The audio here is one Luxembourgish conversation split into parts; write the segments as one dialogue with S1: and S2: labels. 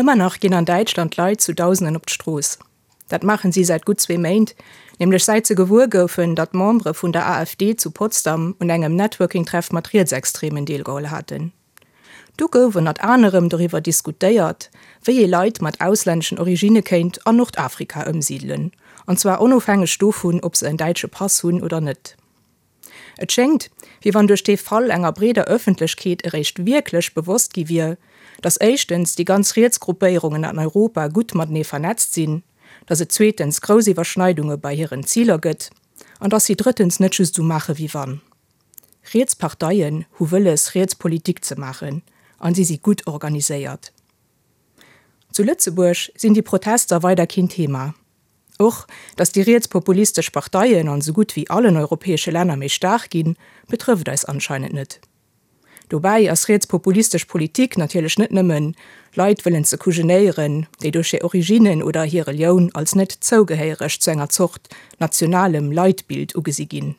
S1: Ëmmer nach ginn an Däitschland Leit zu Dausenden op d'Strooss. Dat maachen si säit gutt zwee Méint, nämlech säit se gewuer goufen, datt Membere vun der AfD zu Potsdam un engem Networking-Treff mat Rietsextremen deelgeholl haten. Do gouf ënnert anerem doriwwer diskutéiert, wéi ee Leit mat auslänneschen Originne kéint an Nordafrika ëmsidelen, an zwar onofhängeg dovun, ob se en däitsche Pass hunn oder net. Et schéngt, wéi wann duerch dee Fall enger breeder Ëffentlechkeet eréischt wierklech bewosst gi wier, datt éischtens déi ganz riets Gruppéierungen an Europa gutt matenee vernetzt sinn, datt et zweetens grouss Iwwerschneidunge bei hiren Ziler gëtt an datt si drëttens net just esou maache wéi wann. Riets Parteien hu wëlles, riets Politik ze maachen an si si gutt organiséiert. Zu Lëtzebuerg sinn déi Protester weider keen Thema. Och datt déi rietspopulistesch Parteien an esou gutt wéi allen europäesche Länner méi staark ginn, betrëfft eis anscheinend net. Dobäi ass rietspopulistesch Politik natierlech net nëmmen, Leit wëllen ze kujenéieren, déi duerch hir Originnen oder hir Relioun als net zougehéiereg zu enger Zort nationalem Leitbild ugesi ginn.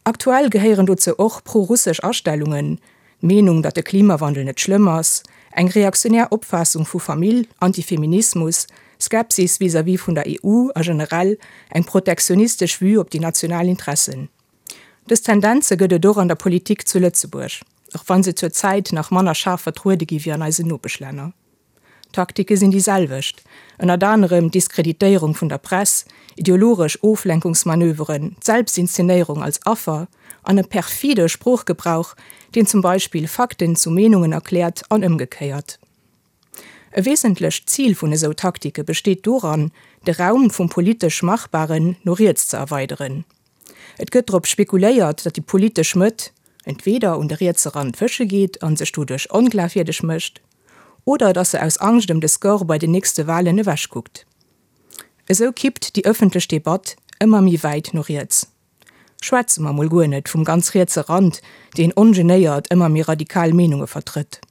S1: Aktuell gehéieren dozou och pro-russesch Astellungen, d'Meenung, datt de Klimawandel net schlëmm ass, eng reaktionär Opfaassung vu Famill, Antifeminismus, Skepsis vis-à-vis vun der EU a generell eng protektionistesch Vue op déi national Interessen. Dës Tendenze gëtt et och an der Politik zu Lëtzebuerg, och wa se zur Zäit nach manner schaarf vertruede gi wéi an eisen Nopeschlänner. D'Taktike sinn déi selwecht, ënnert anerem d'Diskreditéierung vun der Press, ideologesch Oflenkungsmanöveren, d'Selbstinszenéierung als Affer an e perfide Sproochgebrauch, deen zum Beispill Fakten zu Meenungen erkläert an ëmgekéiert. E wesentlecht Zil vun esou Taktike besteet doran, de Raum vum politesch Machbaren no riets ze erweideren. Et gëtt drop spekuléiert, datt déi politesch Mëtt entweeder un de rietse Rand fësche geet a sech doduerch onglafwierdeg mécht, oder datt se aus Angscht ëm de Score bei den nächste Walen ewechkuckt. Esou kippt déi ëffentlech Debatt ëmmer méi wäit no riets. Schwätze mer mol guer net vum ganz rietse Rand, deen ongenéiert ëmmer méi radikal Meenunge vertrëtt.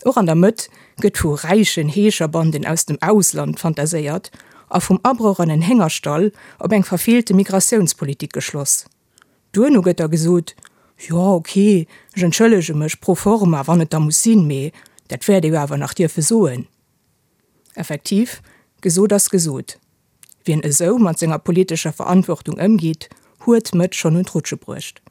S1: Och an der Mëtt gëtt vu räichen Heescherbanden aus dem Ausland fantaséiert a vum Abroch an en Héngerstall op eng verfeelte Migratiounspolitik geschloss. Duerno gëtt da gesot, Jo, ok, ech entschëllege mech pro forma, wann et da muss sinn, mee dat wäert ee jo awer nach dierfe soen. Effektiv, gesot ass gesot. Wien esou mat senger politescher Verantwortung ëmgeet, huet d'Mëtt schonn un d'Rutsche bruecht.